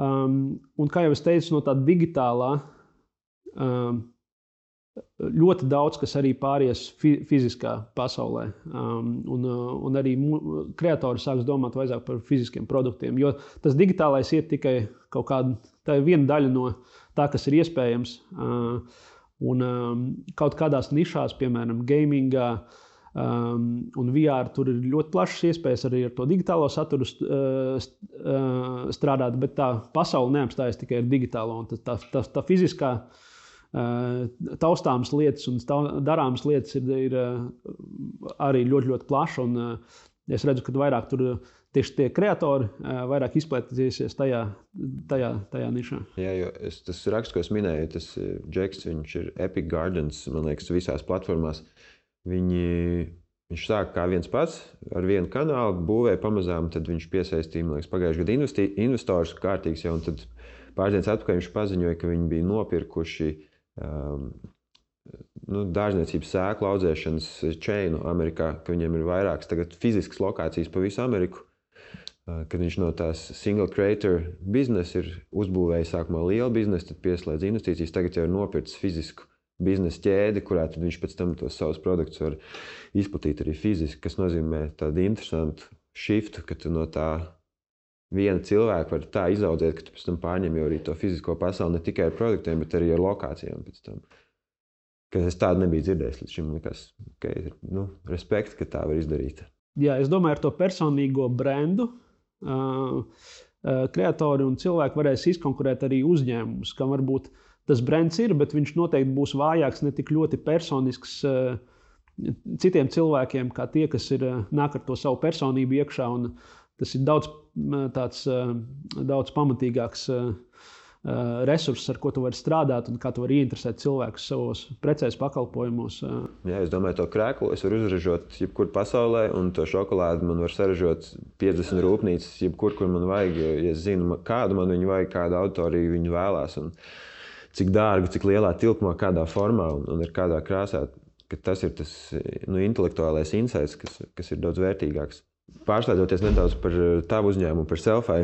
Un kā jau es teicu, no tā digitālā ļoti daudz, kas arī pāries fiziskā pasaulē. Un arī kreatori sāks domāt vairāk par fiziskiem produktiem, jo tas digitālais iet tikai kaut kāda, tā ir viena daļa no tā, kas ir iespējams. Un kaut kādās nišās, piemēram, gamingā un VR, tur ir ļoti plašas iespējas arī ar to digitālo saturu strādāt, bet tā pasaule neapstājas tikai ar digitālo. Un tā fiziskā taustāmas lietas un darāmas lietas ir arī ļoti, ļoti plaša. Un es redzu, ka vairāk tur tieši tie kreatori vairāk izplatīsies tajā nišā. Jā, jo tas raksts, ko es minēju, tas Džeks, viņš ir Epic Gardens, man liekas, visās platformās. Viņš sāk kā viens pats ar vienu kanālu, būvēja pamazām, tad viņš piesaistīja, man liekas, pagājušajā gadā investors kārtīgs jau, un tad pāris dienas atpakaļ viņš paziņoja, ka viņi bija nopirkuši dārzniecības sēklu audzēšanas čeinu Amerikā, ka viņiem ir vairākas tagad fiziskas lokācijas pa visu Ameriku, kad viņš no tās single creator biznesa ir uzbūvējis sākumā lielu biznesu, tad pieslēdz investīcijas, tagad jau ir nopircis fizisku biznesa ķēdi, kurā tad viņš pēc tam tos savus produktus var izplatīt arī fiziski, kas nozīmē tādu interesantu shiftu, ka tu no tā viena cilvēka var tā izaudzēt, ka tu pēc tam pārņem jau arī to fizisko pasauli ne tikai ar produktiem, bet arī ar lokācijām pēc tam. Ka es tādu nebiju dzirdējis līdz šim, likās, respekt, ka tā var izdarīt. Jā, es domāju, ar to personīgo brendu kreatori un cilvēki varēs izkonkurēt arī uzņēmumus, kam varbūt tas brands ir, bet viņš noteikti būs vājāks, ne tik ļoti personisks citiem cilvēkiem, kā tie, kas nāk ar to savu personību iekšā. Un tas ir daudz pamatīgāks resurss, ar ko tu vari strādāt un kā tu vari ieinteresēt cilvēkus savos precēs pakalpojumos. Jā, es domāju, to krēklu es varu uzražot jebkur pasaulē, un to šokolādi man var saražot 50 rūpnīcas, jebkur, kur man vajag, ja es zinu, kādu man viņu vajag, kādu autoriju viņu vēlās, un cik dārgu, cik lielā tilpumā, kādā formā un ar kādā krāsā, ka tas ir tas intelektuālais insights, kas ir daudz vērtīgāks. Pārslēdzoties nedaudz par tavu uzņēmumu, par Selfai,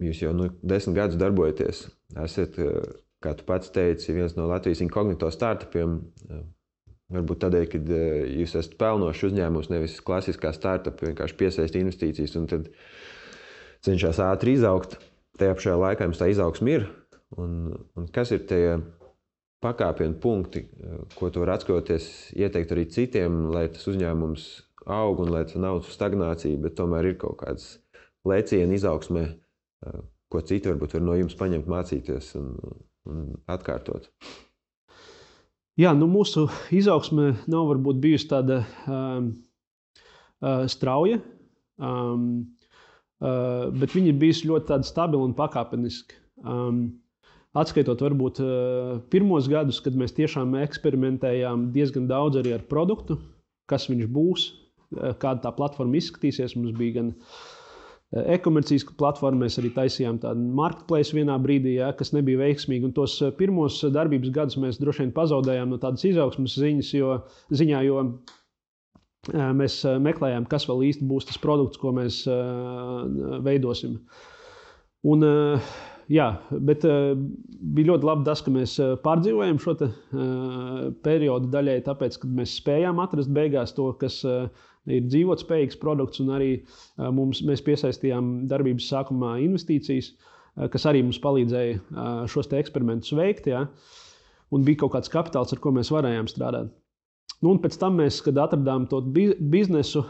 jūs jau 10 gadus darbojaties. Esat, kā tu pats teici, viens no Latvijas inkognito startupiem. Varbūt tādēļ, kad jūs esat pelnošs uzņēmums, nevis klasiskā startup, vienkārši piesaist investīcijas un tad cenšas ātri izaugt. Tajā pašā laikā jums tā izaugsme ir. Un kas ir tie pakāpienu punkti, ko tu var atskatoties, ieteikt arī citiem, lai tas uzņēmums aug un lai tas nav stagnācija, bet tomēr ir kaut kāds lēcieni izaugsmē, ko citi varbūt var no jums paņemt, mācīties un atkārtot? Jā, mūsu izaugsme nav varbūt bijusi tāda strauja, bet viņa ir bijusi ļoti tāda stabila un pakāpeniska. Atskaitot varbūt pirmos gadus, kad mēs tiešām eksperimentējām diezgan daudz arī ar produktu, kas viņš būs, kāda tā platforma izskatīsies. Mums bija gan e-komercijas platforma, mēs arī taisījām tādu marketplace vienā brīdī, kas nebija veiksmīgi. Un tos pirmos darbības gadus mēs droši vien pazaudējām no tādas izaugsmes ziņā, jo mēs meklējām, kas vēl īsti būs tas produkts, ko mēs veidosim. Un, jā, bet bija ļoti labi tas, ka mēs pārdzīvojam šo periodu daļai, tāpēc, kad mēs spējām atrast beigās to, kas ir dzīvotspējīgs produkts, un arī mēs piesaistījām darbības sākumā investīcijas. kas arī mums palīdzēja šos te eksperimentus veikt, ja? Un bija kaut kāds kapitāls, ar ko mēs varējām strādāt. Nu, un pēc tam mēs, kad atradām to biznesu,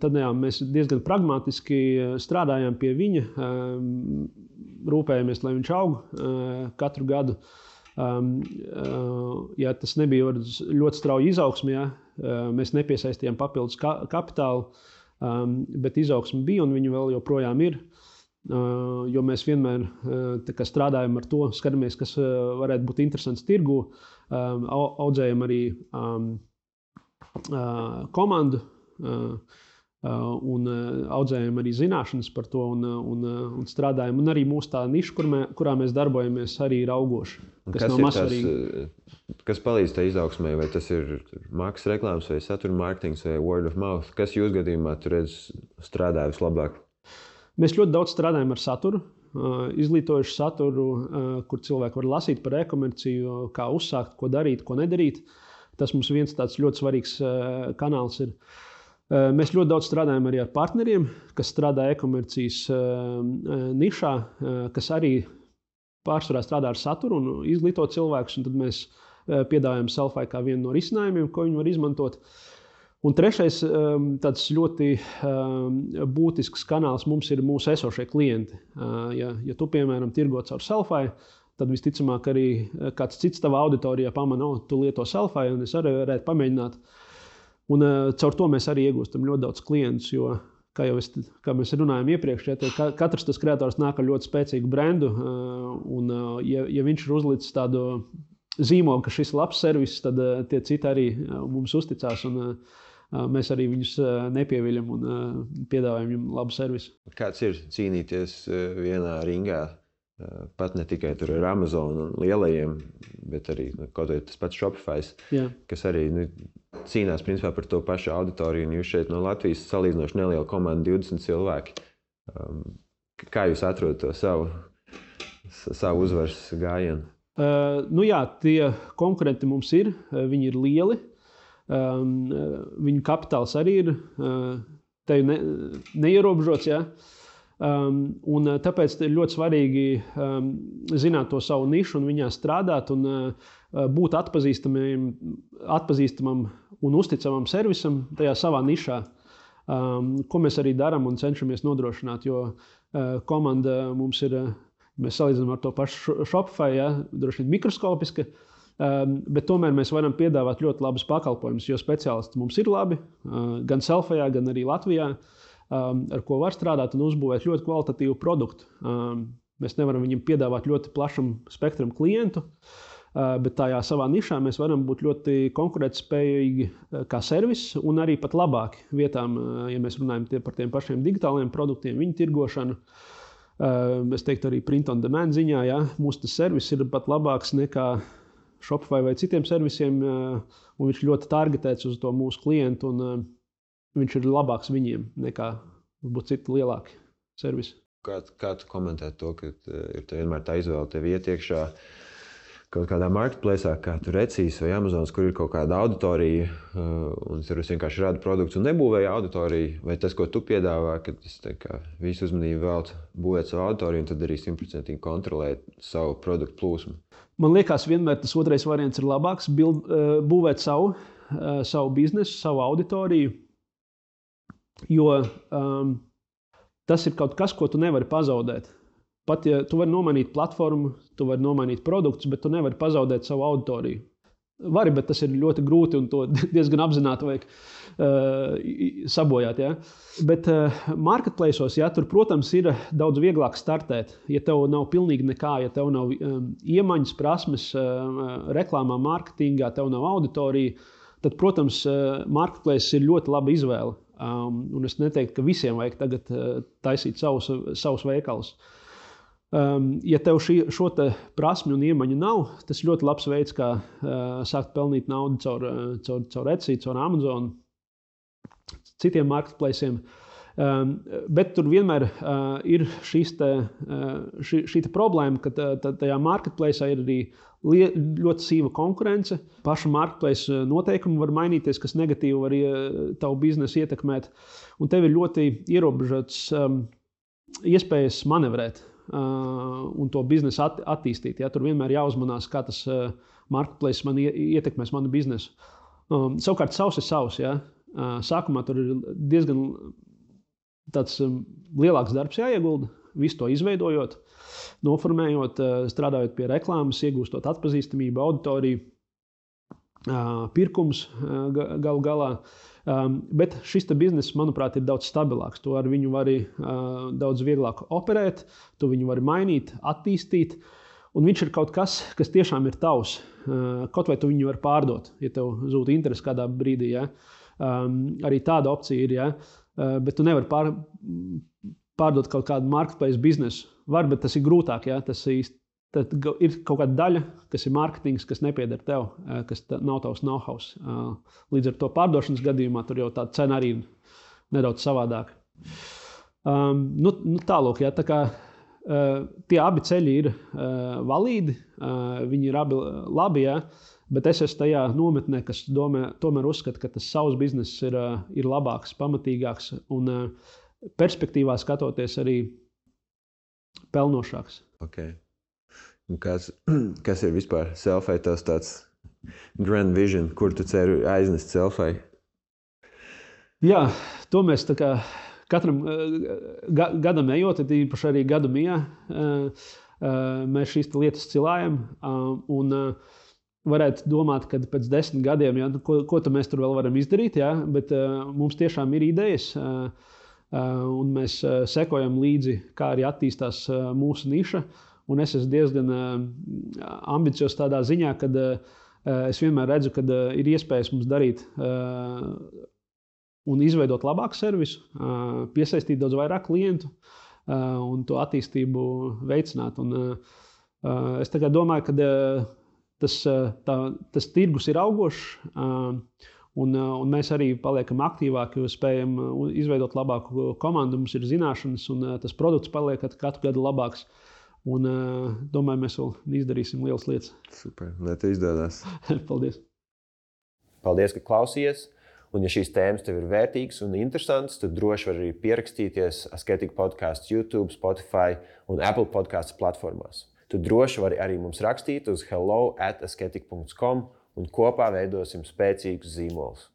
tad jā, mēs diezgan pragmatiski strādājām pie viņa, rūpējamies, lai viņš aug katru gadu. Ja tas nebija ļoti strauji izaugsmi, ja, mēs nepiesaistījām papildus kapitālu, bet izaugsme bija un viņa vēl joprojām ir. Jo mēs vienmēr strādājam ar to, skatāmies, kas varētu būt interesants tirgu, audzējam arī komandu un audzējam arī zināšanas par to un strādājam. Un arī mūsu tā niša, kurā mēs darbojamies, arī ir augoša. Kas palīdz tai izaugsmai? Vai tas ir maksas reklāmas vai satura mārketings vai word of mouth? Kas jūs gadījumā tu redz strādā vislabāk? Mēs ļoti daudz strādājam ar saturu, izglītojušu saturu, kur cilvēki var lasīt par e-komerciju, kā uzsākt, ko darīt, ko nedarīt. Tas mums viens tāds ļoti svarīgs kanāls ir. Mēs ļoti daudz strādājam arī ar partneriem, kas strādā e-komercijas nišā, kas arī pārsvarā strādā ar saturu un izglīto cilvēkus. Un tad mēs piedāvājam Selfie kā vienu no risinājumiem, ko viņi var izmantot. Un trešais tāds ļoti būtisks kanāls mums ir mūsu esošie klienti. Ja tu, piemēram, tirgo caur Selfie, tad visticamāk arī kāds cits tavā auditorijā pamana, tu lieto Selfie, un es arī varētu pamēģināt. Un caur to mēs arī iegūstam ļoti daudz klientus, jo, kā mēs runājām iepriekš, ja katrs tas kreators nāk ar ļoti spēcīgu brendu, un ja viņš ir uzlicis tādu zīmogu, ka šis ir labs servis, tad tie citi arī mums uzticās, un mēs arī viņus nepieviļam un piedāvājam viņam labu servisu. Kāds ir cīnīties vienā ringā, pat ne tikai tur ar Amazon un lielajiem, bet arī kaut vai tas pats Shopify, kas arī cīnās principā par to pašu auditoriju, un jūs šeit no Latvijas salīdzinoši neliela komanda, 20 cilvēki. Kā jūs atrodat to savu uzvaras gājienu? Tie konkurenti mums ir, viņi ir lieli. Viņu kapitāls arī ir neierobežots. Ja? Un tāpēc ir ļoti svarīgi zināt to savu nišu un viņā strādāt un būt atpazīstamam un uzticamam servisam tajā savā nišā, ko mēs arī darām un cenšamies nodrošināt. Jo komanda mums ir, mēs salīdzinām ar to pašu Shopify, ja? Droši vien mikroskopiska. Bet tomēr mēs varam piedāvāt ļoti labus pakalpojumus, jo speciālisti mums ir labi, gan Selfijā, gan arī Latvijā, ar ko var strādāt un uzbūvēt ļoti kvalitatīvu produktu. Mēs nevaram viņiem piedāvāt ļoti plašam spektram klientu, bet tajā savā nišā mēs varam būt ļoti konkurētspējīgi kā servis un arī pat labāki vietām, ja mēs runājam par tiem pašiem digitāliem produktiem, viņu tirgošanu. Es teiktu arī print on demand ziņā, ja, mūsu servis ir pat labāks nekā Shopify vai citiem servisiem, un viņš ļoti targetēts uz to mūsu klientu, un viņš ir labāks viņiem nekā būtu citi lielāki servisi. Kā tu komentē to, ka ir vienmēr tā izvēle tev iet iekšā kaut kādā marketplace'ā, kā tur Etsys vai Amazons, kur ir kaut kāda auditorija, un tur vienkārši rada produktus un nebūvēja auditoriju, vai tas, ko tu piedāvā, ka tas visu uzmanību velc būvēt savu auditoriju un tad arī 100% kontrolēt savu produktu plūsmu? Man liekas, vienmēr tas otrais variants ir labāks, būvēt savu biznesu, savu auditoriju, jo tas ir kaut kas, ko tu nevari pazaudēt. Pat ja tu vari nomainīt platformu, tu vari nomainīt produktus, bet tu nevari pazaudēt savu auditoriju. Vari, bet tas ir ļoti grūti un to diezgan apzināti vajag sabojāt. Ja? Bet marketplace'os, ja, tur, protams, ir daudz vieglāk startēt. Ja tev nav pilnīgi nekā, ja tev nav iemaņas, prasmes, reklāmā, mārketingā, tev nav auditorija, tad, protams, marketplace ir ļoti laba izvēle. Un es neteiktu, ka visiem vajag tagad taisīt savus veikalus. Ja tev šo prasmi un iemaņu nav, tas ir ļoti labs veids, kā sākt pelnīt naudu caur Etsy, caur Amazon, citiem marketplace'iem. Bet tur vienmēr ir šī problēma, ka tajā marketplace'ā ir arī ļoti sīva konkurence. Paša marketplace noteikumi var mainīties, kas negatīvi var tavu biznesu ietekmēt. Un tev ir ļoti ierobežots iespējas manevrēt. un to biznesu attīstīt. Ja? Tur vienmēr jāuzmanās, kā tas marketplace man ietekmēs manu biznesu. Savukārt savs ir savs. Ja? Sākumā tur ir diezgan tāds lielāks darbs jāiegulda, visu to izveidojot, noformējot, strādājot pie reklāmas, iegūstot atpazīstamību, auditoriju, pirkums galu galā. Bet šis bizness, manuprāt, ir daudz stabilāks. To ar viņu var daudz vieglāk operēt, to viņu var mainīt, attīstīt. Un viņš ir kaut kas, kas tiešām ir tavs. Kaut vai tu viņu var pārdot, ja tev zūd interesi kādā brīdī. Ja? Arī tāda opcija ir. Ja? Bet tu nevari pārdot kaut kādu marketplace biznesu. Var, bet tas ir grūtāk. Ja? Tas ir kaut kāda daļa, kas ir mārketings, kas nepieder tev, kas nav tavs know-how. Līdz ar to pārdošanas gadījumā tur jau tā cena arī ir nedaudz savādāka. Tālūk, ja? Tā kā tie abi ceļi ir valīdi, viņi ir abi labi, ja? Bet es esmu tajā nometnē, kas tomēr uzskata, ka tas savs bizness ir labāks, pamatīgāks un perspektīvā skatoties arī pelnošāks. Okay. Kas ir vispār Selfie tavs tāds grand vision, kur tu ceri aiznest Selfie? Jā, to mēs tā kā katram gadam ejot, īpaši arī gadu mijā, mēs šīs lietas cilājam un varētu domāt, ka pēc 10 gadiem, ja, ko mēs tur vēl varam izdarīt, ja, bet mums tiešām ir idejas un mēs sekojam līdzi, kā arī attīstās mūsu niša. Un es esmu diezgan ambiciozs tādā ziņā, ka es vienmēr redzu, ka ir iespējas mums darīt un izveidot labāku servisu, piesaistīt daudz vairāk klientu un to attīstību veicināt. Un, es tā kā domāju, ka tas tirgus ir augošs un mēs arī paliekam aktīvāki, jo spējam izveidot labāku komandu, mums ir zināšanas un tas produkts paliek katru gadu labāks. Un domāju, mēs vēl izdarīsim lielas lietas. Super, lai tev izdodas. Paldies. Paldies, ka klausījies. Un ja šīs tēmas tev ir vērtīgas un interesantas, tad droši var arī pierakstīties Asketika podcasts YouTube, Spotify un Apple podcasts platformās. Tu droši vari arī mums rakstīt uz hello@asketika.com un kopā veidosim spēcīgus zīmolus.